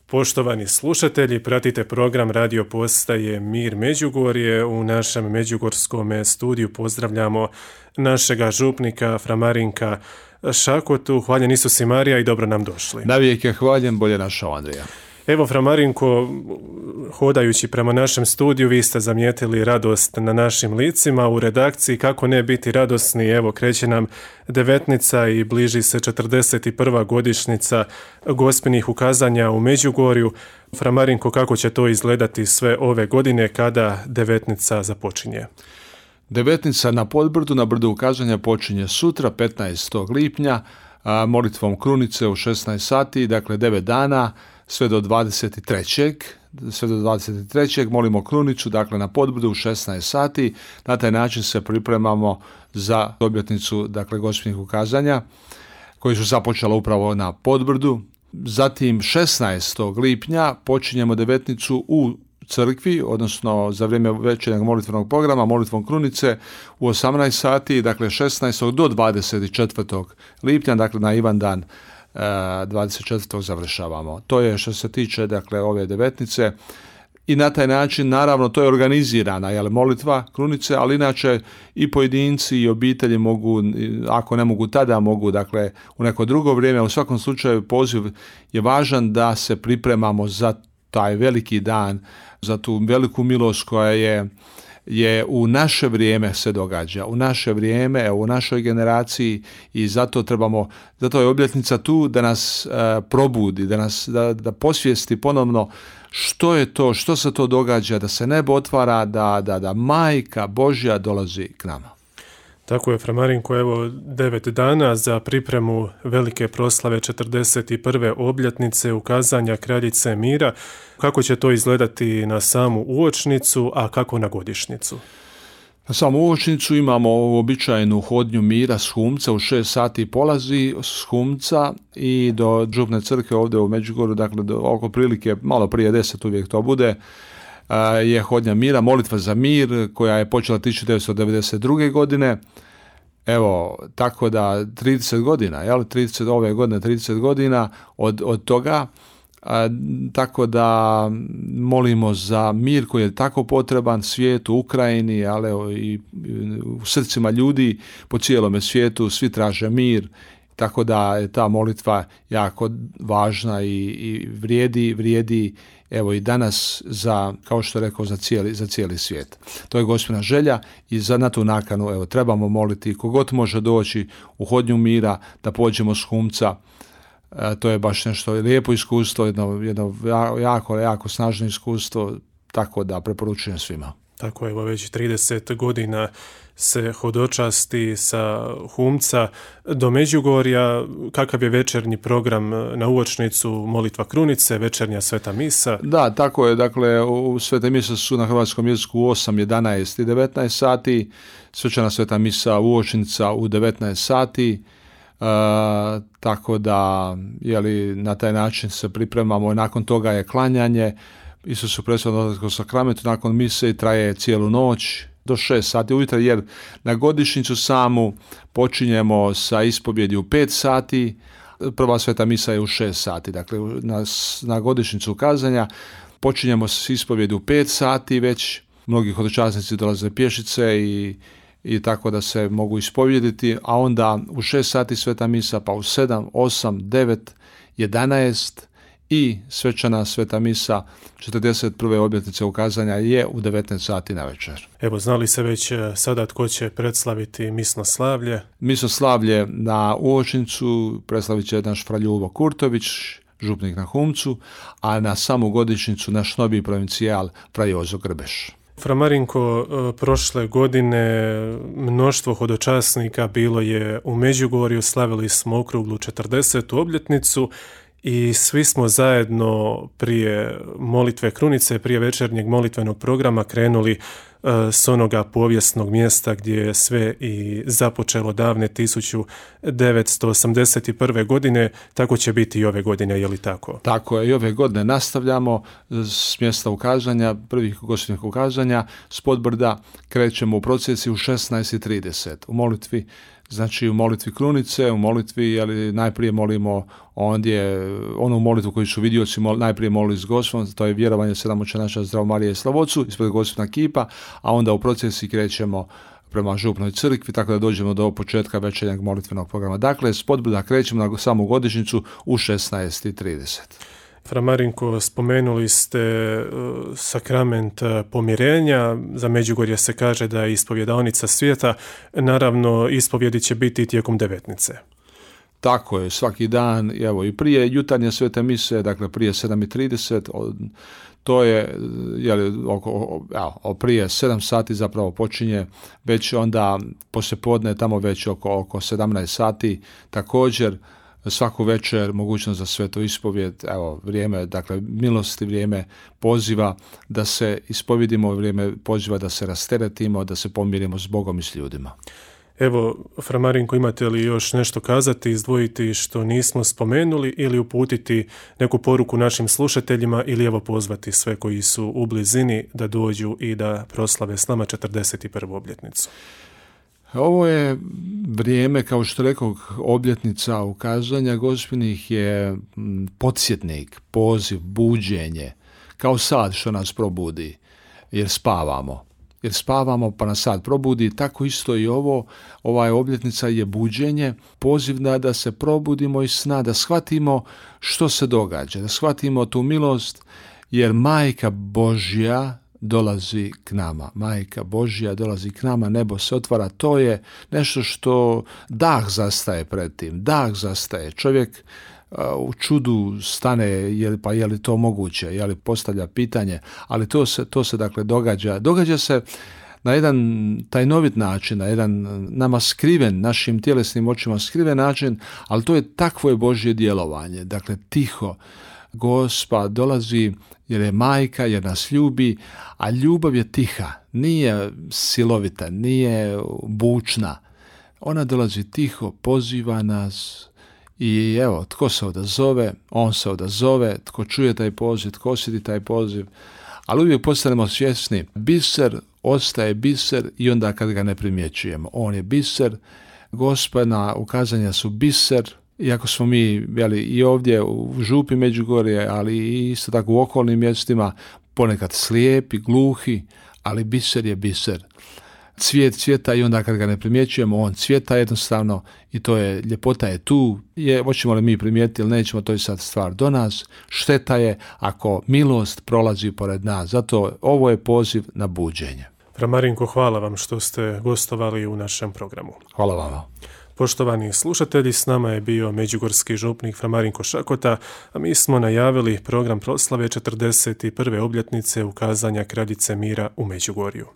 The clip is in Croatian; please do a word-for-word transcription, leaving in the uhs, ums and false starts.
Poštovani slušatelji, pratite program radio postaje Mir Međugorje. U našem međugorskom studiju pozdravljamo našega župnika fra Marinka Šakotu. Hvaljen Isus i Marija i dobro nam došli. Navijek je hvaljen, bolje našao Andrija. Evo, fra Marinko, hodajući prema našem studiju, vi ste zamijetili radost na našim licima u redakciji. Kako ne biti radosni? Evo, kreće nam devetnica i bliži se četrdeset prva godišnjica gospinih ukazanja u Međugorju. Fra Marinko, kako će to izgledati sve ove godine kada devetnica započinje? Devetnica na Podbrdu, na brdu ukazanja, počinje sutra, petnaestog lipnja, a, molitvom krunice u šesnaest sati, dakle devet dana, sve do dvadeset trećeg sve do dvadeset trećeg molimo krunicu, dakle na Podbrdu u šesnaest sati. Na taj način se pripremamo za obljetnicu, dakle, gospinih ukazanja koji su započela upravo na Podbrdu. Zatim šesnaestog lipnja počinjemo devetnicu u crkvi, odnosno za vrijeme večernjeg molitvenog programa, molitvom krunice u osamnaest sati, dakle šesnaestog do dvadeset četvrtog lipnja, dakle na Ivan dan dvadeset četvrtog završavamo. To je što se tiče, dakle, ove devetnice i na taj način, naravno, to je organizirana, jel, molitva krunice, ali inače i pojedinci i obitelji mogu, ako ne mogu tada, mogu, dakle, u neko drugo vrijeme. U svakom slučaju poziv je važan da se pripremamo za taj veliki dan, za tu veliku milost koja je je u naše vrijeme se događa, u naše vrijeme, u našoj generaciji, i zato trebamo, zato je obljetnica tu da nas uh, probudi, da nas da, da posvijesti ponovno što je to, što se to događa, da se nebo otvara, da, da, da Majka Božja dolazi k nama. Tako je, fra Marinko, evo devet dana za pripremu velike proslave četrdeset prve obljetnice ukazanja Kraljice mira. Kako će to izgledati na samu uočnicu, a kako na godišnjicu? Na samu uočnicu imamo običajnu hodnju mira s Humca, u šest sati polazi s Humca i do župne crkve ovdje u Međugorju, dakle do, oko prilike malo prije deset uvijek to bude, je hodnja mira, molitva za mir koja je počela tisuću devetsto devedeset druge godine. Evo, tako da trideset godina, jel, trideset ove godine trideset godina od, od toga, a, tako da molimo za mir koji je tako potreban svijetu, Ukrajini, ali i u srcima ljudi po cijelome svijetu, svi traže mir. Tako da je ta molitva jako važna i, i vrijedi, vrijedi evo i danas za, kao što rekao, za cijeli, za cijeli svijet. To je Gospina želja i za na tu nakanu evo trebamo moliti kogod može doći u hodnju mira da pođemo s Humca. E, to je baš nešto lijepo iskustvo, jedno, jedno jako, jako snažno iskustvo, tako da preporučujem svima. Tako je, evo već trideset godina se hodočasti sa Humca do Međugorja. Kakav je večernji program na uočnicu? Molitva krunice, večernja sveta misa? Da, tako je, dakle u svete mise su na hrvatskom jeziku u osam, jedanaest i devetnaest sati, svečana sveta misa uočnica u devetnaest sati, e, tako da jeli, na taj način se pripremamo. Nakon toga je klanjanje Isusu presvetnom sakramentu, nakon mise i traje cijelu noć do šest sati ujutro, jer na godišnjicu samu počinjemo sa ispovjedi u pet sati, prva sveta misa je u šest sati, dakle na, na godišnjicu ukazanja počinjemo s ispovjedi u pet sati, već mnogi hodočasnici dolaze pješice i, i tako da se mogu ispovjediti, a onda u šest sati sveta misa, pa u sedam, osam, devet, jedanaest i svečana sveta misa četrdeset prve obljetnice ukazanja je u devetnaest sati na večer. Evo, znali se već sada tko će predslaviti misno slavlje? Misno slavlje na uočnicu preslavit će naš fra Ljubo Kurtović, župnik na Humcu, a na samu godišnjicu naš novi provincijal fra Jozo Grbeš. Fra Marinko, prošle godine mnoštvo hodočasnika bilo je u Međugorju, slavili smo okruglu četrdesetu obljetnicu i svi smo zajedno prije molitve krunice, prije večernjeg molitvenog programa krenuli s onoga povijesnog mjesta gdje je sve i započelo davne tisuću devetsto osamdeset prve. godine, tako će biti i ove godine, je li tako? Tako je, i ove godine nastavljamo s mjesta ukazanja, prvih gospođinih ukazanja, s Podbrda krećemo u procesiji u šesnaest i trideset u molitvi. Znači u molitvi krunice, u molitvi, ali najprije molimo ondje onu molitvu koju su vidioci mol, najprije molili s Gospodom, to je vjerovanje sedam oče naša, Zdravo Marije i Slavocu, ispred Gospodina kipa, a onda u procesiji krećemo prema župnoj crkvi, tako da dođemo do početka večernjeg molitvenog programa. Dakle, s Podbrda krećemo na samu godišnjicu u šesnaest i trideset. Fra Marinko, spomenuli ste sakrament pomirenja, za Međugorje se kaže da je ispovjedaonica svijeta, naravno ispovjedi će biti tijekom devetnice. Tako je, svaki dan, evo i prije jutarnje svete mise, dakle prije sedam i trideset, to je, jeli, oko, evo, prije sedam sati zapravo počinje, već onda poslijepodne tamo već oko, oko sedamnaest sati, također svaku večer mogućnost za svetu ispovjed, evo vrijeme, dakle milosti, vrijeme poziva da se ispovjedimo, vrijeme poziva da se rasteretimo, da se pomirimo s Bogom i s ljudima. Evo, Fra Marinko, imate li još nešto kazati, izdvojiti što nismo spomenuli ili uputiti neku poruku našim slušateljima ili evo pozvati sve koji su u blizini da dođu i da proslave s nama četrdeset prvu obljetnicu? Ovo je vrijeme, kao što rekao, obljetnica ukazanja Gospinih je podsjetnik, poziv, buđenje, kao sad što nas probudi, jer spavamo. Jer spavamo pa nas sad probudi, tako isto i ovo, ova obljetnica je buđenje, poziv da, da se probudimo iz sna, da shvatimo što se događa, da shvatimo tu milost, jer Majka Božja dolazi k nama. Majka Božja dolazi k nama, nebo se otvara, to je nešto što dah zastaje pred tim, dah zastaje. Čovjek uh, u čudu stane, je li, pa je li to moguće, je li postavlja pitanje, ali to se, to se dakle događa. Događa se na jedan tajnovit način, na jedan nama skriven, našim tjelesnim očima skriven način, ali to je takvo je Božje djelovanje. Dakle, tiho, Gospa dolazi jer je majka, jer nas ljubi, a ljubav je tiha, nije silovita, nije bučna. Ona dolazi tiho, poziva nas i evo, tko se odazove, on se odazove, tko čuje taj poziv, tko osjeti taj poziv, ali uvijek postanemo svjesni, biser ostaje biser i onda kad ga ne primjećujemo. On je biser, Gospina ukazanja su biser, iako smo mi jeli, i ovdje u župi Međugorje, ali isto tako u okolnim mjestima, ponekad slijepi, gluhi, ali biser je biser. Cvijet cvjeta i onda kad ga ne primjećujemo, on cvjeta jednostavno i to je, ljepota je tu. Je, hoćemo li mi primijetiti ili nećemo, to je sad stvar do nas. Šteta je ako milost prolazi pored nas. Zato ovo je poziv na buđenje. Fra Marinko, hvala vam što ste gostovali u našem programu. Hvala vam. Poštovani slušatelji, s nama je bio međugorski župnik Fra Marinko Šakota, a mi smo najavili program proslave četrdeset prve obljetnice ukazanja Kraljice mira u Međugorju.